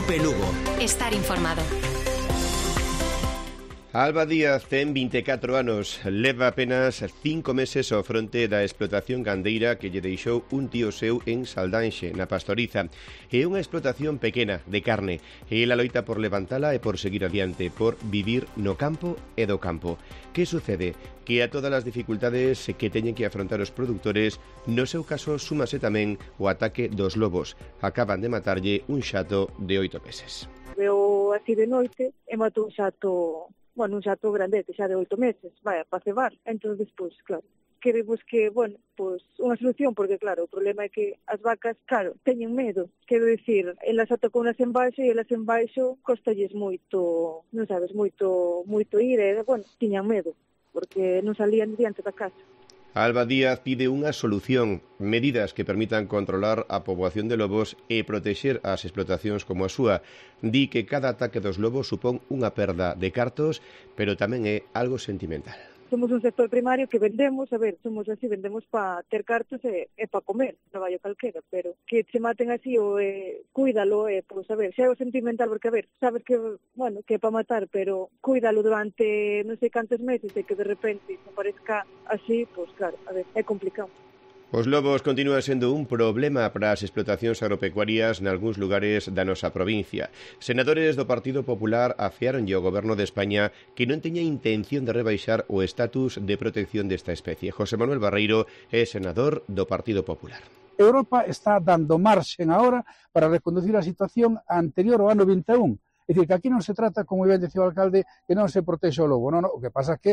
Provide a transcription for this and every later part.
Cope Lugo. Estar informado. Alba Díaz ten 24 anos, leva apenas 5 meses ao fronte da explotación gandeira que lle deixou un tío seu en Saldanxe, na Pastoriza. É unha explotación pequena, de carne, e ela loita por levantala e por seguir adiante, por vivir no campo e do campo. Que sucede? Que a todas as dificultades que teñen que afrontar os produtores, no seu caso súmase tamén o ataque dos lobos. Acaban de matarlle un xato de 8 meses. Veo así de noite e matou un xato grandete, xa de 8 meses, para cebar. Entón, despois, claro, queremos que, unha solución, porque, claro, o problema é que as vacas, claro, teñen medo. Quero dicir, elas atacou unas en baixo e elas en baixo costalles moito, non sabes, moito ir, tiñan medo, porque non salían diante da casa. Alba Díaz pide unha solución, medidas que permitan controlar a poboación de lobos e protexer as explotacións como a súa. Di que cada ataque dos lobos supón unha perda de cartos, pero tamén é algo sentimental. Somos un sector primario que vendemos, somos así, vendemos para ter cartos e para comer, traballo calquera, pero que se maten así ou cuídalo, xa é o sentimental, porque sabes que, que é para matar, pero cuídalo durante non sei cantos meses e que de repente se aparezca así, claro, é complicado. Os lobos continúan sendo un problema para as explotacións agropecuarias nalgúns lugares da nosa provincia. Senadores do Partido Popular afearonlle ao Goberno de España que non teña intención de rebaixar o estatus de protección desta especie. José Manuel Barreiro é senador do Partido Popular. Europa está dando marxen agora para reconducir a situación anterior ao ano 21. É dicir, que aquí non se trata, como ben dicía o alcalde, que non se protexe o lobo. Non, o que pasa é que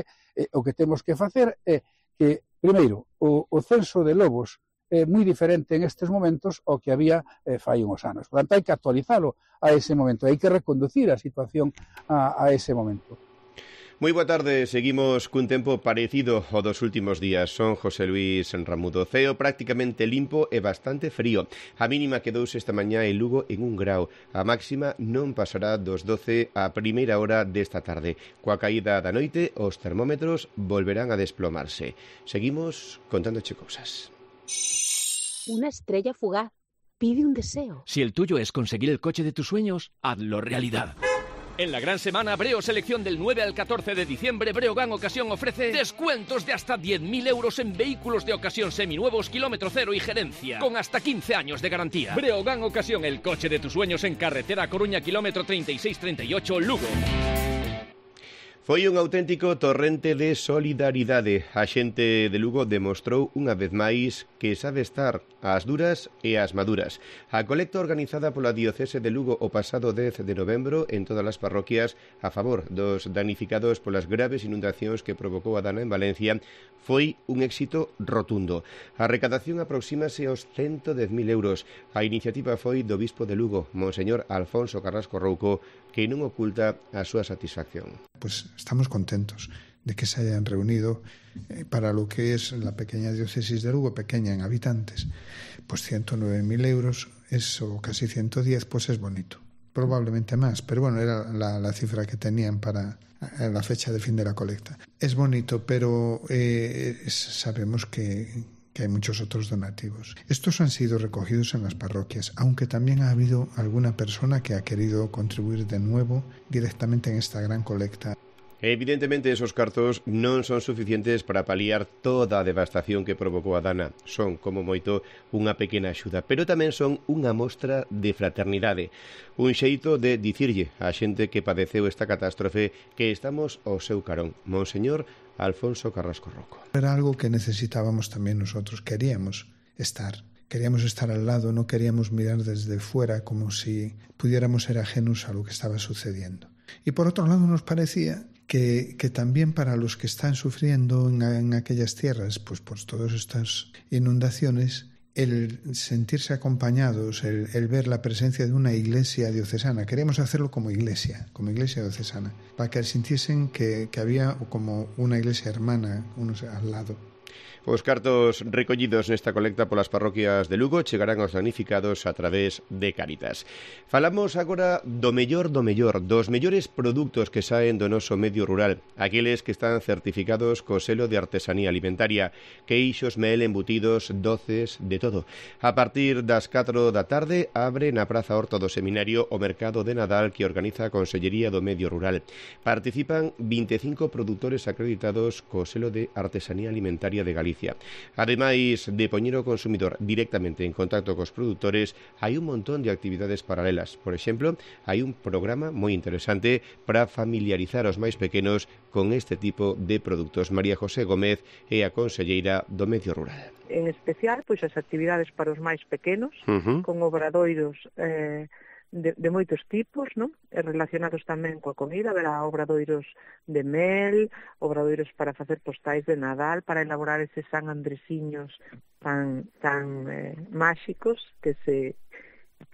o que temos que facer é que, primeiro, o censo de lobos é moi diferente en estes momentos ao que había fai uns anos. Por tanto, hai que actualizalo a ese momento, hai que reconducir a situación a ese momento. Moi boa tarde, seguimos cun tempo parecido ao dos últimos días. Son José Luis Ramudo. Ceo prácticamente limpo e bastante frío. A mínima quedouse esta mañá en Lugo en 1 grau. A máxima non pasará dos 12 a primeira hora desta tarde. Coa caída da noite, os termómetros volverán a desplomarse. Seguimos contándoche cousas. Una estrella fugaz pide un deseo. Si el tuyo es conseguir el coche de tus sueños, hazlo realidad. En la gran semana Breo Selección del 9 al 14 de diciembre, Breogán Ocasión ofrece descuentos de hasta 10.000 euros en vehículos de ocasión seminuevos, kilómetro cero y gerencia, con hasta 15 años de garantía. Breogán Ocasión, el coche de tus sueños en carretera Coruña, kilómetro 3638, Lugo. Foi un auténtico torrente de solidaridade. A xente de Lugo demostrou unha vez máis que sabe estar ás duras e ás maduras. A colecta organizada pola Diocese de Lugo o pasado 10 de novembro en todas as parroquias a favor dos danificados polas graves inundacións que provocou a Dana en Valencia foi un éxito rotundo. A recadación aproxímase aos 110.000 euros. A iniciativa foi do bispo de Lugo, Monseñor Alfonso Carrasco Rouco, que non oculta a súa satisfacción. Pues estamos contentos de que se hayan reunido para lo que es la pequeña diócesis de Lugo, pequeña en habitantes, pues 109.000 euros, eso casi 110, pues es bonito. Probablemente más, pero bueno, era la cifra que tenían para la fecha de fin de la colecta. Es bonito, pero sabemos que hay muchos otros donativos. Estos han sido recogidos en las parroquias, aunque también ha habido alguna persona que ha querido contribuir de nuevo directamente en esta gran colecta. Evidentemente, esos cartos non son suficientes para paliar toda a devastación que provocou a Dana. Son, como moito, unha pequena axuda, pero tamén son unha mostra de fraternidade. Un xeito de dicirlle á xente que padeceu esta catástrofe que estamos ao seu carón. Monseñor Alfonso Carrasco Rouco. Era algo que necesitábamos también nosotros. Queríamos estar al lado, no queríamos mirar desde fuera como si pudiéramos ser ajenos a lo que estaba sucediendo. Y por otro lado nos parecía que también para los que están sufriendo en aquellas tierras, pues por todas estas inundaciones, el sentirse acompañados, el ver la presencia de una iglesia diocesana, queríamos hacerlo como iglesia diocesana, para que sintiesen que había como una iglesia hermana unos al lado. Os cartos recollidos nesta colecta polas parroquias de Lugo chegarán aos damnificados a través de Cáritas. Falamos agora do mellor, dos mellores produtos que saen do noso medio rural, aqueles que están certificados co selo de artesanía alimentaria, queixos, mel, embutidos, doces, de todo. A partir das 4 da tarde abre na Praza Horta do Seminario o mercado de Nadal que organiza a Consellería do Medio Rural. Participan 25 produtores acreditados co selo de artesanía alimentaria de Galicia. Ademais de poñer o consumidor directamente en contacto cos produtores, hai un montón de actividades paralelas. Por exemplo, hai un programa moi interesante para familiarizar os máis pequenos con este tipo de produtos. María José Gómez é a conselleira do Medio Rural. En especial, pois as actividades para os máis pequenos, con obradoiros de moitos tipos, non? Relacionados tamén coa comida, haberá obradoiros de mel, obradoiros para facer postais de Nadal, para elaborar eses San Andresiños tan máxicos que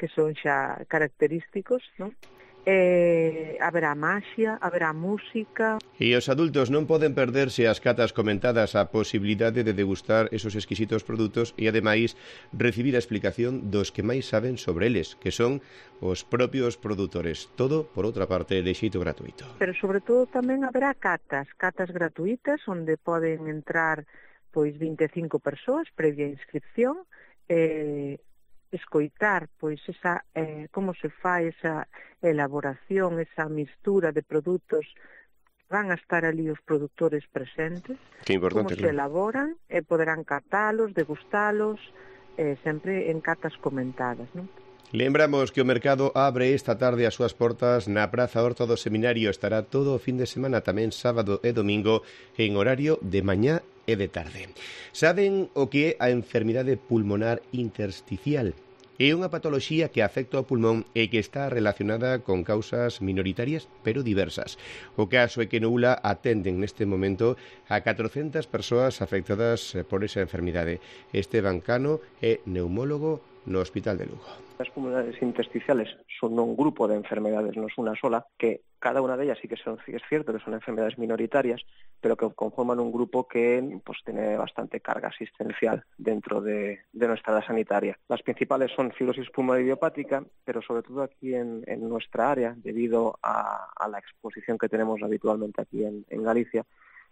son xa característicos, non? Haberá maxia, haberá música. E os adultos non poden perderse as catas comentadas, a posibilidade de degustar esos exquisitos produtos e, ademais, recibir a explicación dos que máis saben sobre eles, que son os propios produtores. Todo, por outra parte, de xeito gratuito. Pero, sobre todo, tamén haberá catas gratuitas, onde poden entrar pois 25 persoas previa inscripción, escoitar pois esa como se fai esa elaboración, esa mistura de produtos. Van a estar ali os produtores presentes, como se elaboran, e poderán catalos, degustalos, sempre en catas comentadas, non? Lembramos que o mercado abre esta tarde as súas portas na Praza Horta do Seminario. Estará todo o fin de semana, tamén sábado e domingo, en horario de mañá e de tarde. Saben o que é a enfermidade pulmonar intersticial? É unha patoloxía que afecta ao pulmón e que está relacionada con causas minoritarias, pero diversas. O caso é que no ULA atenden neste momento a 400 persoas afectadas por esa enfermidade. Esteban Cano é neumólogo no Hospital de Lugo. As pulmonares intersticiales son un grupo de enfermedades, no es una sola, que cada una de ellas sí que es cierto que son enfermedades minoritarias, pero que conforman un grupo que pues tiene bastante carga asistencial dentro de nuestra área sanitaria. Las principales son fibrosis pulmonar idiopática, pero sobre todo aquí en nuestra área, debido a la exposición que tenemos habitualmente aquí en Galicia,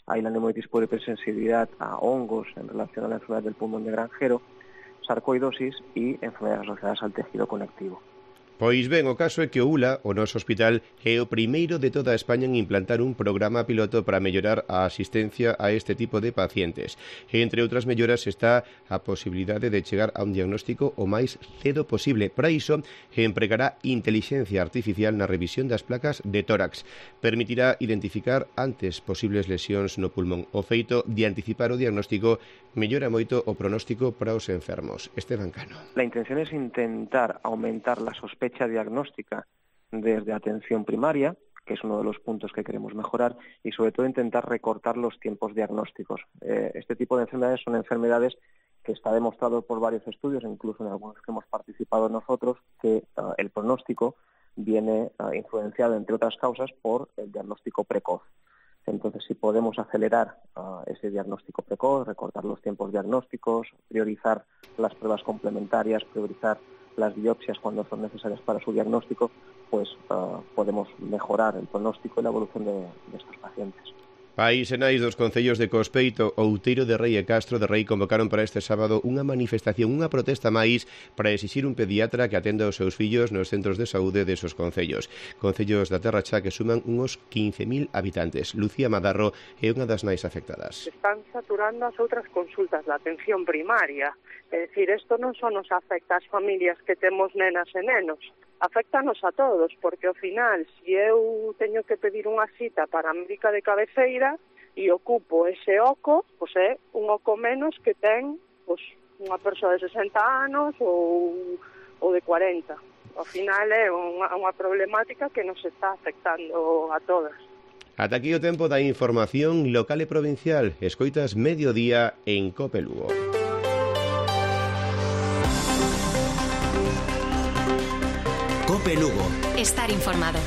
hay la neumonitis por hipersensibilidad a hongos en relación a la enfermedad del pulmón de granjero, sarcoidosis e enfermedades asociadas al tejido conectivo. Pois ben, o caso é que o ULA, o noso hospital, é o primeiro de toda España en implantar un programa piloto para mellorar a asistencia a este tipo de pacientes. E entre outras melloras está a posibilidade de chegar a un diagnóstico o máis cedo posible. Para iso, empregará intelixencia artificial na revisión das placas de tórax. Permitirá identificar antes posibles lesións no pulmón. O feito de anticipar o diagnóstico mellora moito o pronóstico para os enfermos. Esteban Cano. La intención es intentar aumentar la sospecha diagnóstica desde atención primaria, que es uno de los puntos que queremos mejorar, y sobre todo intentar recortar los tiempos diagnósticos. Este tipo de enfermedades son enfermedades que está demostrado por varios estudios, incluso en algunos que hemos participado nosotros, que el pronóstico viene influenciado, entre otras causas, por el diagnóstico precoz. Entonces, si podemos acelerar ese diagnóstico precoz, recortar los tiempos diagnósticos, priorizar las pruebas complementarias, priorizar las biopsias cuando son necesarias para su diagnóstico, pues podemos mejorar el pronóstico y la evolución de estos pacientes. Pais e nais dos concellos de Cospeito, Outeiro de Rei e Castro de Rei convocaron para este sábado unha manifestación, unha protesta máis para exixir un pediatra que atenda aos seus fillos nos centros de saúde desos concellos. Concellos da Terra Cha que suman uns 15.000 habitantes. Lucía Madarro é unha das máis afectadas. Están saturando as outras consultas da atención primaria. É dicir, isto non só nos afecta ás familias que temos nenas e nenos, afectanos a todos, porque ao final, se eu teño que pedir unha cita para a médica de cabeceira e ocupo ese oco, pois é un oco menos que ten pois, unha persoa de 60 anos ou de 40. Ao final é unha problemática que nos está afectando a todas. Ata aquí o tempo da información local e provincial. Escoitas Mediodía en Cope Lugo. Cope Lugo. Estar informado.